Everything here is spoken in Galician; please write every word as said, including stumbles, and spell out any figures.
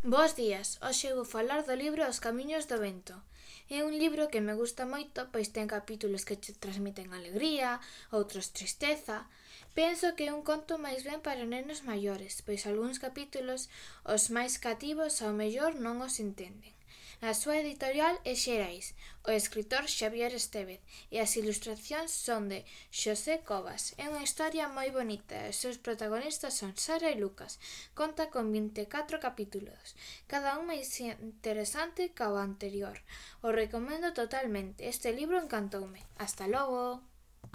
Bos días, hoxe vou falar do libro Os camiños do vento. É un libro que me gusta moito, pois ten capítulos que che transmiten alegría, outros tristeza. Penso que é un conto máis ben para nenos maiores, pois algúns capítulos, os máis cativos, ao mellor non os entenden. A súa editorial é Xerais, o escritor Xavier Estévez, e as ilustracións son de Xosé Cobas. É unha historia moi bonita e os seus protagonistas son Sara e Lucas. Conta con vinte e catro capítulos, cada un máis interesante ca o anterior. O recomendo totalmente, este libro encantoume. Hasta logo!